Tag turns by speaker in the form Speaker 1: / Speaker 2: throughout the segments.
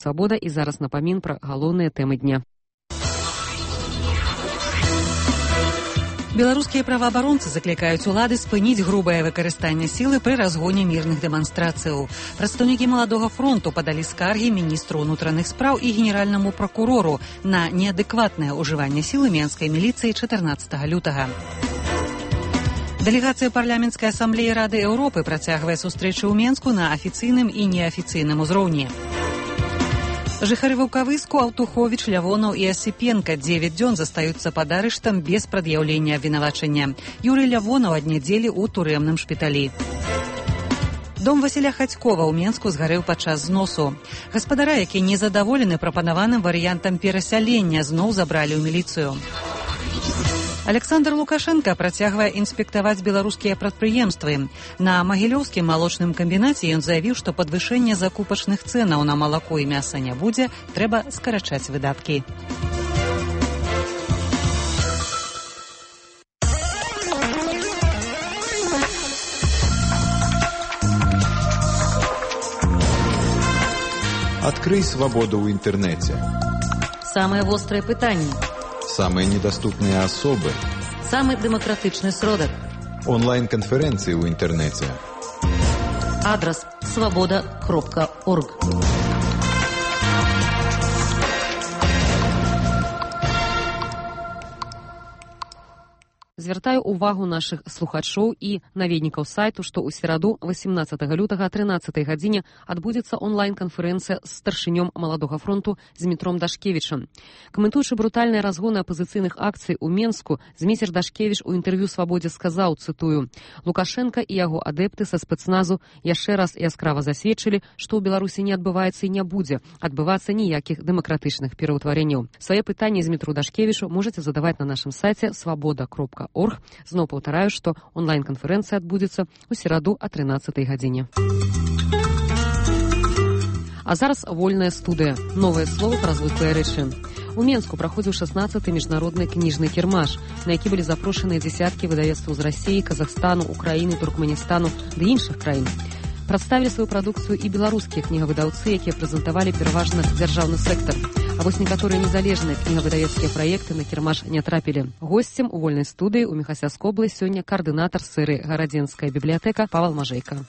Speaker 1: Свабода і зараз напамін пра галоўныя тэмы дня.
Speaker 2: Беларускія праваабаронцы заклікаюць улады спыніць грубае выкарыстанне сілы пры разгоне мірных дэманстрацыяў. Прадстаўнікі Маладога фронту падалі скаргі міністру ўнутраных спраў і генеральнаму пракурору на неадэкватнае ўжыванне сілы менскай міліцыі 14 лютага. Дэлегацыя парламенцкай асамблеі Рады Еўропы працягвае сустрэчы ў Менску на афіцыйным і неафіцыйным узроўні. Жыхары Ваўкавыску, Аўтуховіч, Лявонаў і Асіпенка 9 дзён застаюцца пад арыштам без прад'яўлення абвінавачання. Юрый Лявонаў ад нядзелі ў турэмным шпіталі. Дом Васіля Хацькова ў Менску згарэў падчас зносу. Гаспадара, які незадаволены прапанаваным варыянтам перасялення, зноў забралі ў міліцыю. Александр Лукашенко працягвае інспектаваць беларускія прадпрыемствы. На Магілёўскім малочным камбінаце ён заявіў, што падвышэнне закупачных цэнаў на малако і мяса не будзе, трэба скарачаць выдаткі.
Speaker 3: Открой свободу в интернете.
Speaker 1: Самые острые пытания.
Speaker 3: Самые недоступные особы.
Speaker 1: Самый демократичный сродок.
Speaker 3: Онлайн-конференции в интернете.
Speaker 1: Адрес svoboda.org. Звяртаю увагу нашых слухачоў і наведнікаў сайту, што ў сераду 18 лютага о 13 гадзіне адбудзецца онлайн-канферэнцыя з старшынём Маладога фронту Змітром Дашкевічам. Каментуючы брутальныя разгоны апазіцыйных акцый у Менску, Зміцер Дашкевіч у інтэрв'ю «Свабодзе» сказаў, цытую, «Лукашенка і яго адэпты са спецназу яшчэ раз яскрава засведчылі, што ў Беларусі не адбываецца і не будзе адбывацца ніякіх дэмакратычных пераўтварэнняў». Свае пытанні Змітру Дашкевічу можаце задаваць на нашым сайце svoboda.org. Зноў паўтараю, што онлайн-канферэнцыя адбудзецца ў сераду о 13 гадзіне. А зараз вольная студыя. Новае слово пра звыклыя рэчы. У Менску праходзіў 16-й міжнародны кніжны кірмаш, на які былі запрошаныя дзесяткі выдавецтваў з Расіі, Казахстану, Украіны, Туркменістану ды іншых краін. Прадставілі сваю прадукцыю і беларускія кнігавыдаўцы, якія прэзентавалі пераважна дзяржаўны сектар. А вось некаторыя незалежныя кнігавыдавецкія праекты на кірмаш не трапілі. Госцем у вольнай студыі ў Міхасяскоблы сёння каардынатар сферы гарадзенская бібліятэка Павал Мажэйка.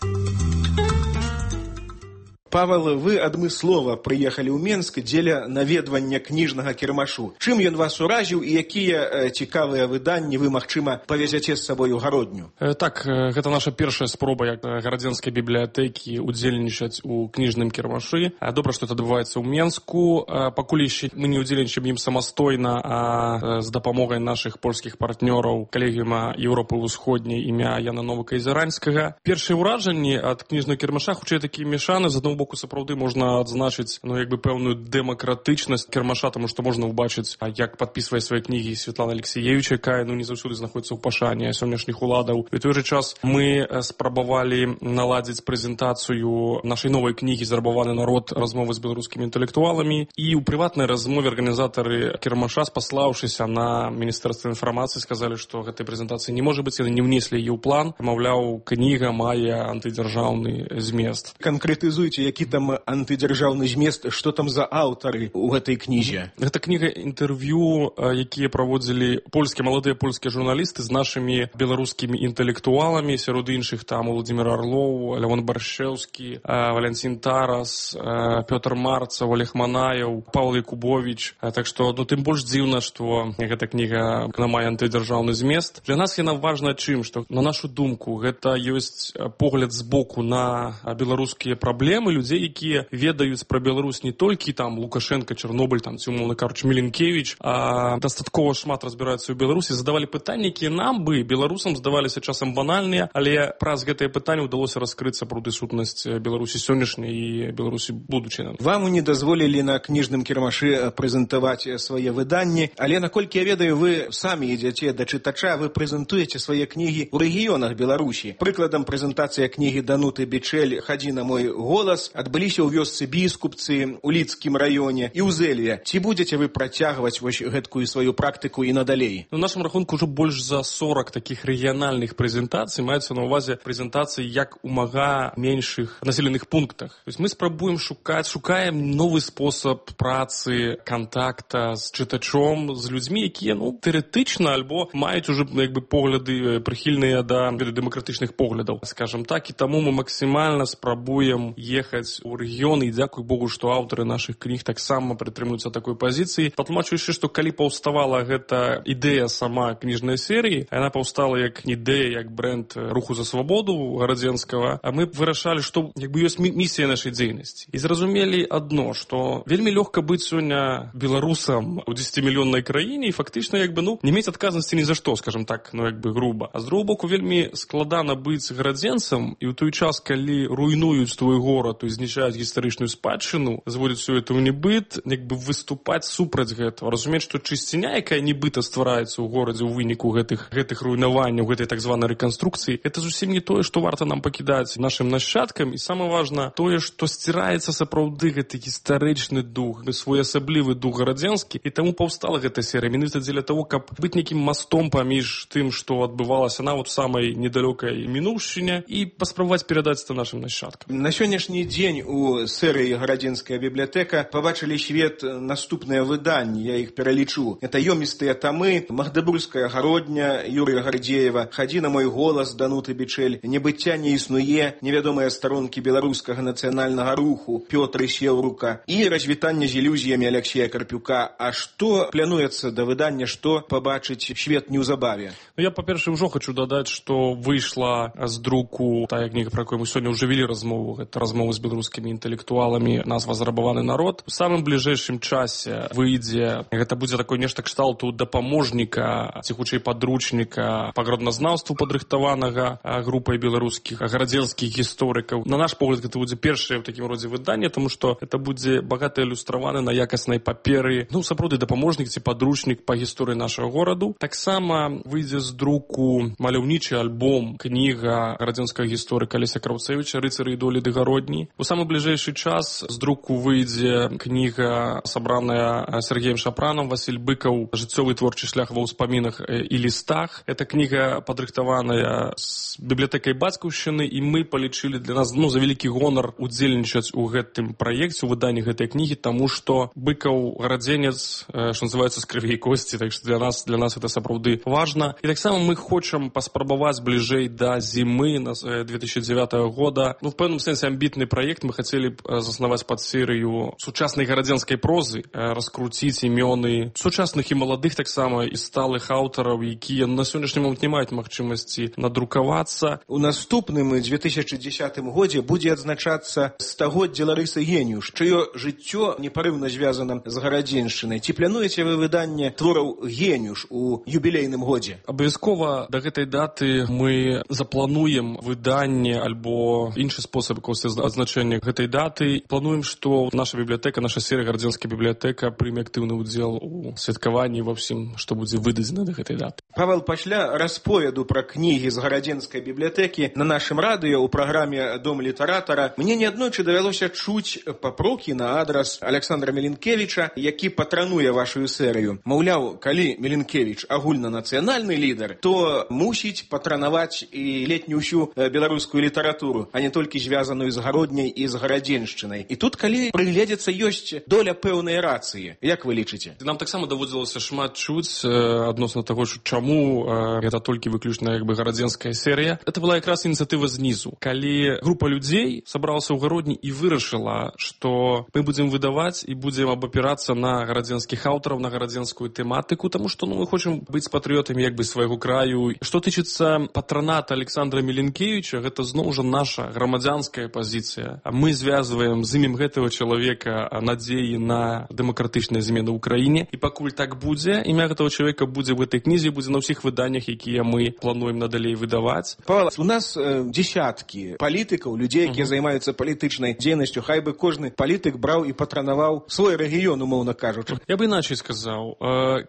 Speaker 4: Павел, вы адмыслова прыехалі ў Менск дзеля наведвання кніжнага кірмашу. Чым ён вас уразіў і якія цікавыя выданні вы, магчыма, павезяце з сабою гародню?
Speaker 5: Так, гэта наша першая спроба як гарадзенскай бібліятэкі удзельнічаць у кніжным кірмашы. Добра, што это адбываецца ў Менску. Пакуль яшчэ мы не удзельнічаем ім самастойна, а з дапамогай нашых польскіх партнёраў калегіума Еўропы ўсходняй імя Яна Новака-Ізаранскага. Першыя ўражанні ад кніжнага кірмаша хутчэй такія мешаны. З аднаго боку, сапраўды можна адзначыць пэўную дэмакратычнасць кірмаша, таму што можна ўбачыць, як падпісвае свае кнігі Святлана Алексеевича, якая не заўсёды знаходзіцца ў пашане сённяшніх уладаў. І ў той жа час мы спрабавалі наладзіць прэзентацыю нашай новай кнігі «Зарабаваны народ. Размовы з беларускімі інтэлектуаламі». І ў прыватнай размове арганізатары кірмаша, спаслаўшыся на Міністэрства інфармацыі, сказалі, што гэтай прэзентацыі не можа быць, яны не ўнеслі яе ў план. Маўляў, кніга мае антыдзяржаўны змест.
Speaker 4: Канкрэтызуйце, які там антыдзяржаўны змест, што там за аўтары ў гэтай кнізе?
Speaker 5: Гэта кніга інтэрв'ю, якія праводзілі маладыя польскія журналісты з нашымі беларускімі інтэлектуаламі, сярод іншых там Владзімір Арлоў, Лявон Баршчэўскі, Валянцін Тарас, Пётр Марцаў, Олег Манаеў, Павел Якубович. Так што, тым больш дзіўна, што гэта кніга мае антыдзяржаўны змест. Для нас яна важна чым, што, на нашу думку, гэта ёсць погляд збоку на беларускія праблемы людзей, якія ведаюць пра Беларусь не толькі там Лукашенко, Чарнобыль, там, ці, умоўна кажучы, Міленкевич, а дастаткова шмат разбіраюцца ў Беларусі, задавалі пытанні, якія нам бы, беларусам, здаваліся часам банальныя, але праз гэтыя пытанні ўдалося раскрыць сапраўды сутнасць Беларусі сённяшняй і Беларусі будучыні.
Speaker 4: Вам не дазволілі на кніжным кірмашы прэзентаваць свае выданні, але, наколькі я ведаю, вы самі ідзяце да чытача, вы прэзентуеце свае кнігі ў рэгіёнах Беларусі. Прыкладам, прэзентацыя кнігі Дануты Бичэль «Хадзі на мой голас» вас адбыліся ў вёсцы Біскупцы, у Лідскім раёне і ў Зэлье. Ці будзеце вы працягваць вось гэткую сваю практыку і надалей?
Speaker 5: На нашым рахунку ўжо больш за 40 такіх рэгіянальных прэзентацый, маюцца на ўвазе прэзентацыі як у мага меншых населеных пунктах. То есть мы спрабуем шукаем новы спосаб працы, контакта з чытачом, з людзьмі, якія, тэоретычна альбо маюць ужо погляды прыхільныя да дэмакратычных поглядаў, скажем так, і таму мы максімальна спрабуем ехаць у рэгіёны, і дзякуй Богу, што аўтары нашых кніг таксама прытрымліваюцца такой пазіцыі. Патлумачу яшчэ, што калі паўставала гэта ідэя сама кніжнай серыі, яна паўстала як ідэя, як бренд руху за свабоду гарадзенскага, а мы вырашалі, што ёсць місія нашай дзейнасці. І зразумелі адно, што вельмі лёгка быць сёння беларусам у 10-мільённай краіне і фактычна не мець адказнасці ні за што, скажем так, груба. А з другого боку, вельмі складана быць гарадзенцам, і ў той час, калі руйнуюць твой горад, то знішчаюць гістарычную спадчыну, зводзяць все это ў небыт, выступаць супраць гэтага. Разумець, што чысціня, якая нібыта ствараецца ў горадзе ў выніку гэтых руйнаванняў, гэтай так званай рэканструкцыі, это зусім не тое, што варта нам пакідаць нашым нашчадкам, і самае важна тое, што сціраецца сапраўды гэты гістарычны дух, своеасаблівы дух гарадзенскі, і таму паўстала гэта серыя менавіта дзеля таго, каб быць нейкім мастом паміж тым, што адбывалася на самай недалёкай мінуўшчыне, і паспрабаваць перадаць это нашым нашчадкам.
Speaker 4: На сённяшні дзень у серыі «Гарадзенская бібліятэка» пабачылі свет наступныя выданні, я іх пералічу. Это ёмістыя тамы «Магдебургская гародня» Юрыя Гардзеева, «Хадзі на мой голас» Дануты Бичэль, «Небыцця не існуе», невядомыя старонкі беларускага нацыянальнага руху Пётры Сеўрука і «Развітанне з ілюзіямі» Аляксея Карпюка. А што плануецца да выдання, што пабачыць свет неўзабаве?
Speaker 5: Я, па-першае, ўжо хочу дадаць, што выйшла з друку тая кніга, пра якую мы сёння ўжо вялі размову. Гэта размовы з беларускімі інтэлектуаламі, назва «Зарабаваны народ». У самым бліжэйшым часе выйдзе, гэта будзе такое нешта кшталту дапаможніка, ці хутчэй падручніка па гарадназнаўству падрыхтаванага групай беларускіх гарадзенскіх гісторыкаў. На наш погляд, гэта будзе першае ў такім родзе выданне, таму што гэта будзе багата ілюстраваны на якаснай паперы, сапраўды дапаможнік ці падручнік па гісторыі нашага гораду. Таксама выйдзе з друку маляўнічы альбом, кніга гарадзенскага гісторыка Алеся Краўцевіча «Рыцары і долі Дыгародні». У самы бліжэйшы час з друку выйдзе кніга, сабраная Сергеем Шапранам, Васіль Быкаў «Жыццёвы творчы шлях ва ўспамінах і лістах». Эта кніга падрыхтаваная з бібліятэкай бацькаўшчыны, і мы палічылі для нас за вялікі гонар удзельнічаць у гэтым праекце, у выданні гэтай кнігі, таму што Быкаў гарадзенец, што называецца, з крыві і косці, так што для нас это сапраўды важна. І таксама мы хочам паспрабаваць бліжэй да зімы 2009 года. В пэўным сэнсе амбітны праект. Мы хацелі заснаваць пад серыю сучаснай гарадзенскай прозы, раскруціць імёны сучасных і маладых таксама і сталых аўтараў, якія на сённяшні момант не маюць магчымасці надрукавацца.
Speaker 4: У наступным 2010 годзе будзе адзначацца стагоддзе Ларысы Геніуш, чыё жыццё непарыўна звязана з гарадзеншчынай. Ці плануеце вы выданне твораў Геніуш у юбілейным годзе?
Speaker 5: Абавязкова да гэтай даты мы заплануем выданне альбо іншы спосаб адзначэння гэтай даты. Плануем, што наша бібліятэка, наша серыя «Гарадзенская бібліятэка» прыме актыўны ўдзел у святкаванні ва ўсім, што будзе выдадзена да гэтай даты.
Speaker 4: Павел, пасля расповеду пра кнігі з гарадзенскай бібліятэкі на нашым радыё ў праграме «Дом літаратара» мне неаднойчы давялося чуць папрокі на адрас Александра Меленкевіча, які патрануе вашу серыю. Маўляў, калі Меленкевіч агульнанацыянальны лідар, то мусіць патранаваць і летнюю ўсю беларускую літаратуру, а не толькі звязаную з гародняй і з гарадзеншчынай. І тут, калі прыгледзецца, ёсць доля пэўнай рацыі. Як вы лічыце?
Speaker 5: Нам таксама даводзілася шмат чуць адносна таго, чаму гэта толькі выключна гарадзенская серыя. Это была якраз ініцыятыва знізу. Калі група людзей сабралася ў гародні і вырашыла, што мы будзем выдаваць і будзем абапірацца на гарадзенскіх аўтараў, на гарадзенскую тэматыку, таму што мы хочам быць патрыётамі свайго краю. Што тычыцца патраната Александра Меленкевіча, гэта зноў жа наша грамадзянская пазіцыя. Мы звязваем з імем гэтага чалавека надзеі на дэмакратычныя змены ў краіне, і пакуль так будзе, імя гэтага чалавека будзе в этой кнізе, будзе на ўсіх выданнях, якія мы плануем надалей выдаваць.
Speaker 4: Павел, у нас десяткі палітыкаў, людзей, якія займаюцца палітычнай дзейнасцю, хай бы кожны палітык браў і патранаваў свой рэгіён, умоўна кажучы.
Speaker 5: Я бы іначай сказаў,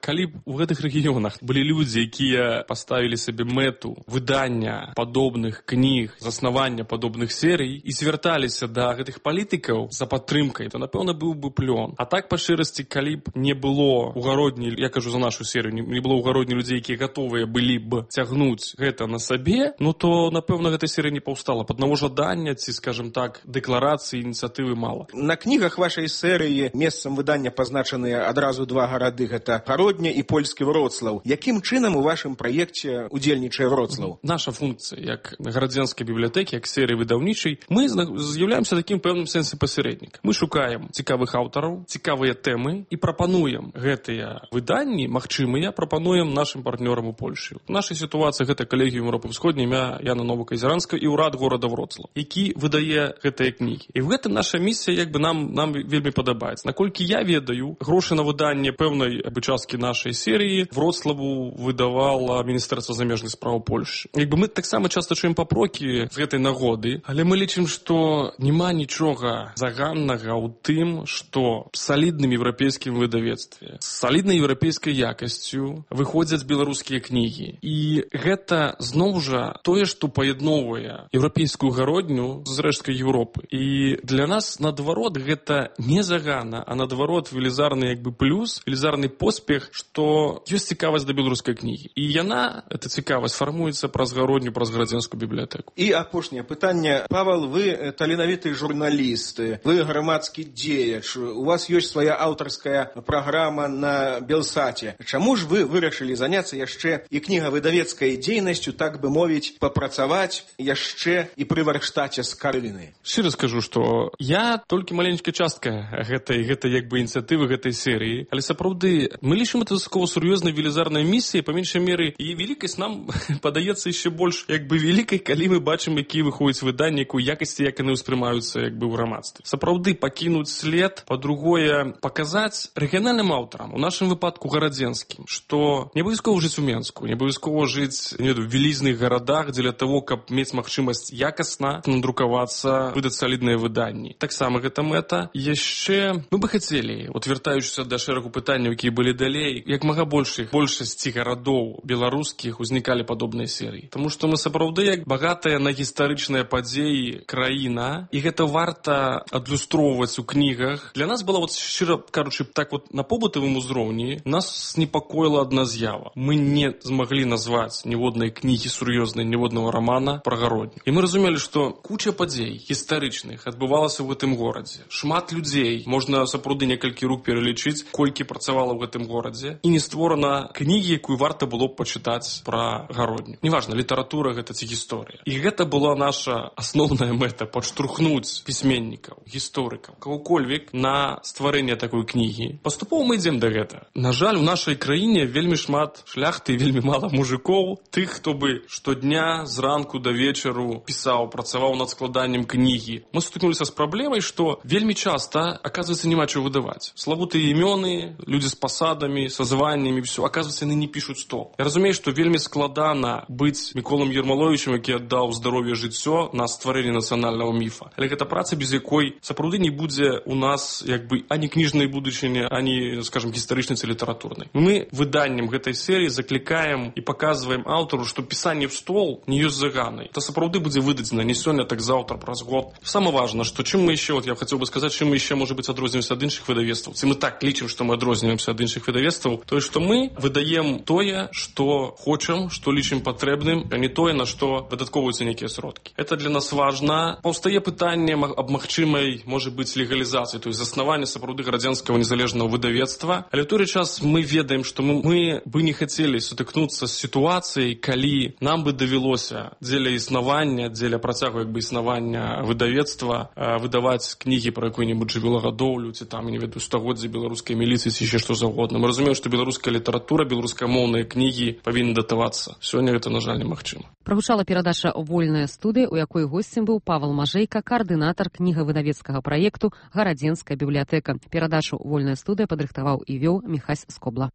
Speaker 5: калі б у гэтых рэгіёнах былі людзі, якія паставілі сабе мэту выдання падобных кніг, заснавання падобных серый і звярталіся звярталіся да гэтых палітыкаў за падтрымкай, то, напэўна, быў бы плён. А так, па шчырасці, калі б не было ў гародні, я кажу за нашу серыю, не было ў гародні людзей, якія гатовыя былі б цягнуць гэта на сабе, ну то, напэўна, гэта серыя не паўстала. Пад аднаго жадання ці, скажем так, дэкларацыі, ініцыятывы мала.
Speaker 4: На кнігах вашай серыі месцам выдання пазначаныя адразу два гарады, гэта Гародня і польскі Вроцлаў. Якім чынам у вашым праекце удзельнічае Вроцлаў?
Speaker 5: Наша функцыя, як гарадзенскай бібліятэкі, як серыі выдаўнічай, мы з'яўляемся такім пэўным сэнсе пасярэднік. Мы шукаем цікавых аўтараў, цікавыя тэмы і прапануем гэтыя выданні, магчымыя, прапануем нашым партнёрам у Польшы. У нашай сітуацыі гэта Калегіум Еўропы Ўсходняй імя Яна Новаказеранскага і ўрад горада Вроцлаў, які выдае гэтыя кнігі. І гэта наша місія, як бы нам вельмі падабаецца. Наколькі я ведаю, грошы на выданне пэўнай часткі нашай серыі Вроцлаву выдавала Міністэрства замежных спраў Польшы. Як бы мы таксама часта чуем папрокі з гэтай нагоды, але мы лічым, што няма нічога заганнага ў тым, што салідным еўрапейскім выдавецтве, з саліднай еўрапейскай якасцю выходзяць беларускія кнігі. І гэта зноў жа тое, што паядноўвае еўрапейскую гародню з рэшткай Еўропы. І для нас, наадварот, гэта не загана, а наадварот велізарны як бы плюс, велізарны поспех, што ёсць цікавасць да беларускай кнігі. І яна, эта цікавасць, фармуецца праз гародню, праз гарадзенскую бібліятэку.
Speaker 4: І апошняе пытанне. Павел, вы таленавіты журналіст, вы грамадскі дзеяч, у вас ёсць свая аўтарская праграма на Белсаце. Чаму ж вы вырашылі заняцца яшчэ і кнігавыдавецкай дзейнасцю, так бы мовіць, папрацаваць яшчэ і пры варштаце з Карыны?
Speaker 5: Шчыра скажу, што я толькі маленькая частка гэтай як бы ініцыятывы гэтай серыі, але сапраўды мы лічым это высокова сур'ёзнай велізарнай місіяй, па меншай меры, і велікасць нам падаецца яшчэ больш як бы велікай, калі мы бачым, якія выходзяць выданні, якую якасці, як яны ўспрымаюцца як бы ў грамадстве. Сапраўды пакінуць след, па-другое, паказаць рэгіянальным аўтарам, у нашым выпадку гарадзенскім, што не абавязкова жыць у Менску, не абавязкова жыць, не ведаю, в вялізных гарадах дзеля таго, каб мець магчымасць якасна надрукавацца, выдаць салідныя выданні. Таксама гэта мэта. Яшчэ мы бы хацелі, вяртаючыся да шэрагу пытанняў, якія былі далей, як мага большасці гарадоў беларускіх узнікалі падобныя серыі. Таму што мы сапраўды як багатая на гістарычныя падзеі краіна, і гэта варта адлюстроўваць у кнігах. Для нас была, шчыра кажучы, так на побытавым узроўні нас непакоіла адна з'ява. Мы не змаглі назваць ніводнай кнігі сур'ёзнай, ніводнага рамана пра гародню. І мы разумелі, што куча падзей гістарычных адбывалася ў гэтым горадзе. Шмат людзей, можна сапраўды некалькі рук пералічыць, колькі працавала ў гэтым горадзе, і не створана кнігі, якую варта было б пачытаць пра гародню. Неважна, літаратура гэта ці гісторыя. І гэта была наша асноўная мэта — падштурхнуць пісьменнікаў, гісторыкаў, кагокольвек на стварэнне такой кнігі. Паступова мы ідзем да гэта. На жаль, у нашай краіне вельмі шмат шляхты, вельмі мала мужикоў, тых, хто бы штодня з ранку да вечару пісаў, працаваў над складаннем кнігі. Мы сутыкнуліся з праблемай, што вельмі часта, оказывается, няма чаго выдаваць. Славутыя імёны, людзі з пасадамі, са званнямі, все, оказывается, яны не пішуць стол. Я разумею, што вельмі складана быць Міколам Ермаловічем, які аддаў здароўе жыццё на стварэнне нацыянальнага міфа. Але гэта праца, без якой сапраўды не будзе у нас як бы ані кніжнай будучыні, ані, скажем, гістарычнай ці літаратурнай. Мы выданнем гэтай серыі заклікаем і паказваем аўтару, што пісанне в стол не ёсць заганай. Это сапраўды будзе выдадзена не сёння, так заўтра, праз год. Самое важное, што чым мы яшчэ, я хацеў бы сказаць, чым мы яшчэ, можа быць, адрозніваемся ад іншых выдавецтваў. Ці мы так лічым, што мы адрозніваемся ад іншых выдавецтваў, тое, што мы выдаем тое, што хочам, што лічым патрэбным, а не тое, на што выдаткоўваюцца нейкія сродкі. Это для нас важна. Паўстае пытанне аб магчымай, можа быць, легалізацыі, то есть заснавання сапраўды гарадзенскага незалежнага выдавецтва. Але ў той час мы ведаем, што мы бы не хацелі сутыкнуцца з сітуацыяй, калі нам бы давялося дзеля існавання, дзеля працягу як бы існавання выдавецтва выдаваць кнігі пра якую-небудзь жывёлагадоўлю, ці там, не ведаю, стагоддзя беларускай міліцыі, ці яшчэ што заўгодна. Мы разумеем, што беларуская літаратура, беларускамоўныя кнігі павінны датавацца. Сёння гэта, на жаль, немагчыма.
Speaker 1: Прагучала перадача «Вольная студыя», у якой госцем быў Павел Мажэйка, каардынатар кнігавыдавецкага праекту «Гарадзенская бібліятэка». Перадачу «Вольная студыя» падрыхтаваў і вёў Міхась Скобла.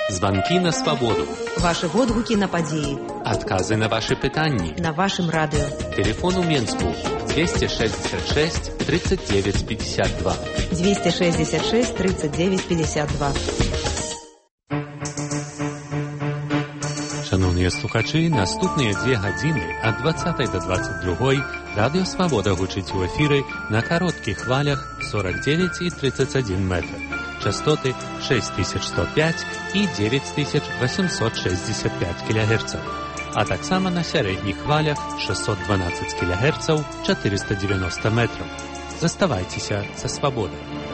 Speaker 6: Звонки на свободу.
Speaker 7: Ваши водгуки на подеи.
Speaker 6: Отказы на ваши пытанні.
Speaker 7: На вашем радио.
Speaker 6: Телефон у Менску 266 39 52.
Speaker 7: 266 39 52.
Speaker 6: Шановні Шаноўныя слухачы, наступныя 2 гадзіны ад 20 до 22 радыё «Свабода» гучыць у эфіры на кароткіх хвалях 49 і 31 метр. Частоты 6105 і 9865 кГц. А таксама на сярэдніх хвалях 612 кГц 490 метраў. Заставайцеся са «Свабодай».